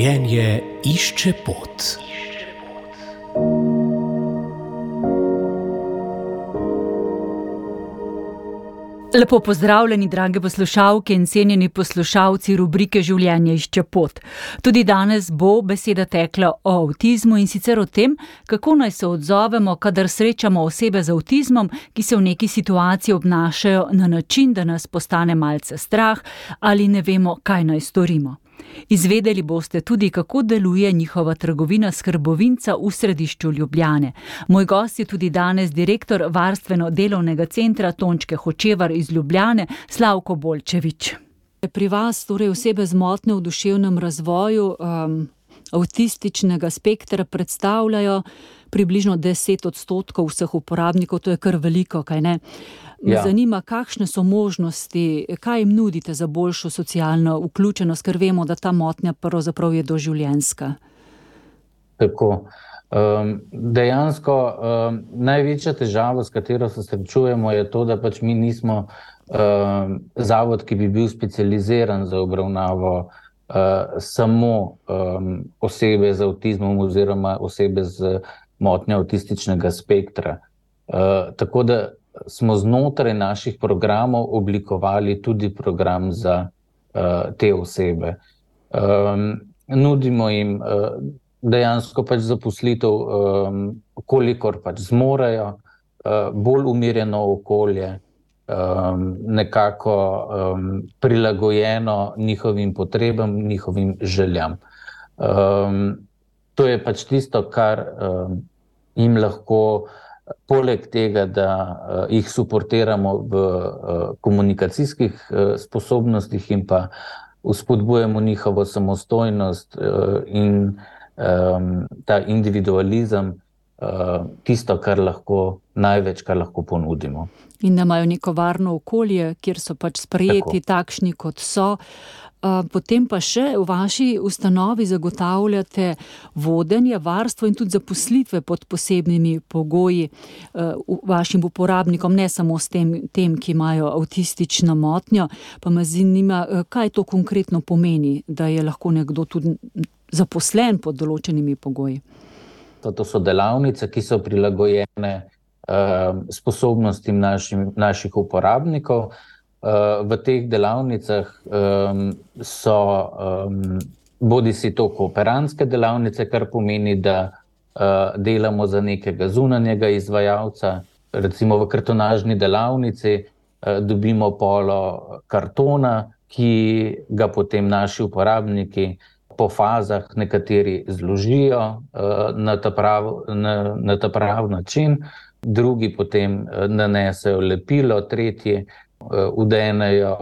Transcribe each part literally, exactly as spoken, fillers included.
Življenje išče pot. Lepo pozdravljeni, drage poslušalke in cenjeni poslušalci rubrike Življenje išče pot. Tudi danes bo beseda tekla o avtizmu in sicer o tem, kako naj se odzovemo, kadar srečamo osebe z avtizmom, ki se v neki situaciji obnašajo na način, da nas postane malce strah ali ne vemo, kaj naj storimo. Izvedeli boste tudi, kako deluje njihova trgovina skrbovinca v središču Ljubljane. Moj gost je tudi danes direktor varstveno-delovnega centra Tončke Hočevar iz Ljubljane, Slavko Bolčevič. Pri vas torej osebe z motnjo v duševnem razvoju um, avtističnega spektra predstavljajo približno deset odstotkov vseh uporabnikov, to je kar veliko, kaj ne? Me ja. zanima, kakšne so možnosti, kaj jim nudite za boljšo socialno vključenost, ker vemo, da ta motnja pravzaprav je doživljenjska. Tako. Um, dejansko um, največja težava, s katero se srečujemo, je to, da pač mi nismo um, zavod, ki bi bil specializiran za obravnavo uh, samo um, osebe z avtizmom oziroma osebe z motnjo avtističnega spektra. Uh, tako da smo znotraj naših programov oblikovali tudi program za uh, te osebe. Um, nudimo jim uh, dejansko pač zaposlitev, um, kolikor pač zmorejo, uh, bolj umirjeno okolje, um, nekako um, prilagojeno njihovim potrebam, njihovim željam. Um, to je pač tisto, kar um, jim lahko poleg tega, da uh, jih suportiramo v uh, komunikacijskih uh, sposobnostih in pa vzpodbujamo njihovo samostojnost uh, in um, ta individualizem, uh, tisto, kar lahko, največ, kar lahko ponudimo. In da imajo neko varno okolje, kjer so pač sprejeti Tako. takšni, kot so. Potem pa še v vaši ustanovi zagotavljate vodenje, varstvo in tudi zaposlitve pod posebnimi pogoji vašim uporabnikom, ne samo s tem, tem, ki imajo avtistično motnjo. Pa me zanima, kaj to konkretno pomeni, da je lahko nekdo tudi zaposlen pod določenimi pogoji. To, to so delavnice, ki so prilagojene uh, sposobnostim našim, naših uporabnikov. V teh delavnicah um, so um, bodi si to kooperantske delavnice, kar pomeni, da uh, delamo za nekega zunanjega izvajalca. Recimo v kartonažni delavnici uh, dobimo polo kartona, ki ga potem naši uporabniki po fazah nekateri zložijo uh, na ta prav, na, na ta prav način, drugi potem uh, nanesejo lepilo, tretji vdenejo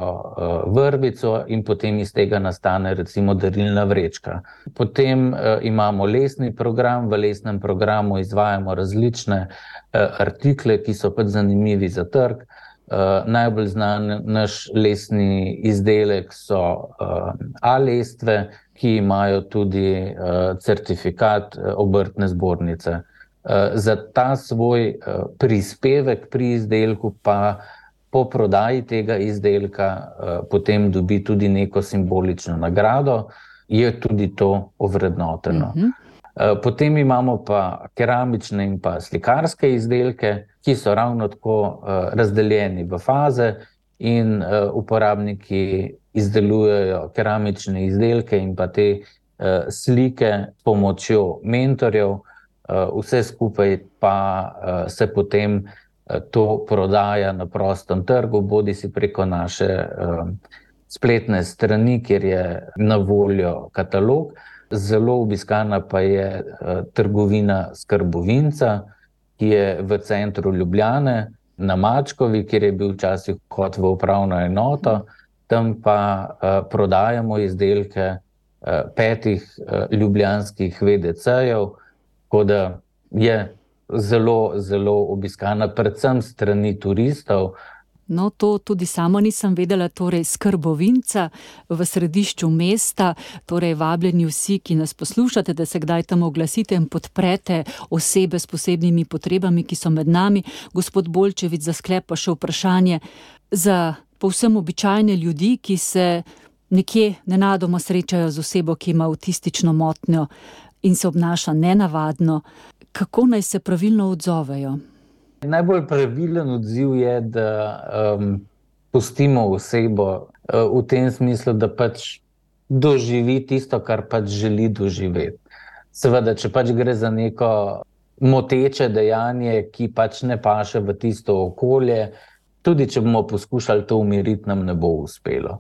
vrvico in potem iz tega nastane recimo darilna vrečka. Potem uh, imamo lesni program, v lesnem programu izvajamo različne uh, artikle, ki so pač zanimivi za trg. Uh, najbolj znan naš lesni izdelek so uh, A-lestve, ki imajo tudi uh, certifikat uh, obrtne zbornice. Uh, za ta svoj uh, prispevek pri izdelku pa po prodaji tega izdelka uh, potem dobi tudi neko simbolično nagrado, je tudi to ovrednoteno. Uh-huh. Uh, potem imamo pa keramične in pa slikarske izdelke, ki so ravno tako uh, razdeljeni v faze in uh, uporabniki izdelujejo keramične izdelke in pa te uh, slike s pomočjo mentorjev, uh, vse skupaj pa uh, se potem to prodaja na prostem trgu, bodi si preko naše um, spletne strani, kjer je na voljo katalog. Zelo obiskana pa je uh, trgovina skrbovinca, ki je v centru Ljubljane, na Mačkovi, kjer je bil včasih vhod v upravno enoto. Tam pa uh, prodajamo izdelke uh, petih uh, ljubljanskih ve de cejev, tako da je zelo, zelo obiskana, predvsem strani turistov. No, to tudi sama nisem vedela, torej skrbovinca v središču mesta, torej vabljeni vsi, ki nas poslušate, da se kdaj tam oglasite in podprete osebe s posebnimi potrebami, ki so med nami. Gospod Bolčevič, za sklep pa še vprašanje za povsem običajne ljudi, ki se nekje nenadoma srečajo z osebo, ki ima avtistično motnjo in se obnaša nenavadno, kako naj se pravilno odzovejo? Najbolj pravilen odziv je, da um, pustimo osebo uh, v tem smislu, da pač doživi tisto, kar pač želi doživeti. Seveda, če pač gre za neko moteče dejanje, ki pač ne paše v tisto okolje, tudi če bomo poskušali to umiriti, nam ne bo uspelo.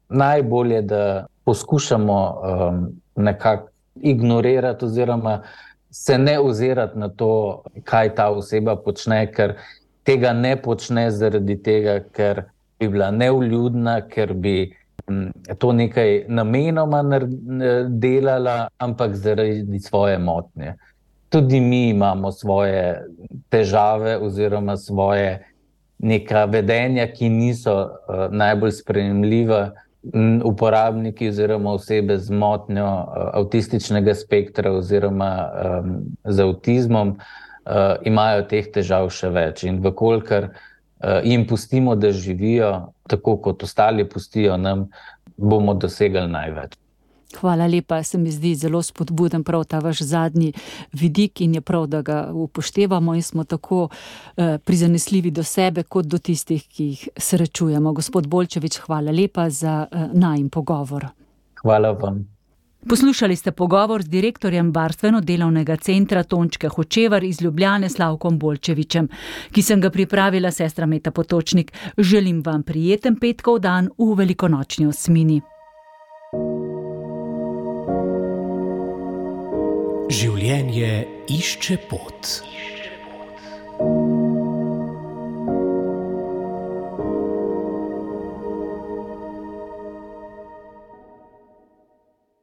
Najbolje, da poskušamo um, nekako ignorirati oziroma se ne ozirati na to, kaj ta oseba počne, ker tega ne počne zaradi tega, ker bi bila nevljudna, ker bi um, to nekaj namenoma delala, ampak zaradi svoje motnje. Tudi mi imamo svoje težave oziroma svoje neka vedenja, ki niso uh, najbolj sprejemljiva. Uporabniki oziroma osebe z motnjo uh, avtističnega spektra oziroma um, z avtizmom uh, imajo teh težav še več. In vkolikor uh, jim pustimo, da živijo, tako kot ostali pustijo nam, bomo dosegli največ. Hvala lepa, se mi zdi zelo spodbuden prav ta vaš zadnji vidik in je prav, da ga upoštevamo in smo tako eh, prizanesljivi do sebe kot do tistih, ki jih srečujemo. Gospod Bolčevič, hvala lepa za eh, najin pogovor. Hvala vam. Poslušali ste pogovor z direktorjem Varstveno-delovnega centra Tončke Hočevar iz Ljubljane Slavkom Bolčevičem, ki sem ga pripravila sestra Meta Potočnik. Želim vam prijeten petkov dan v velikonočni osmini. Življenje išče pot.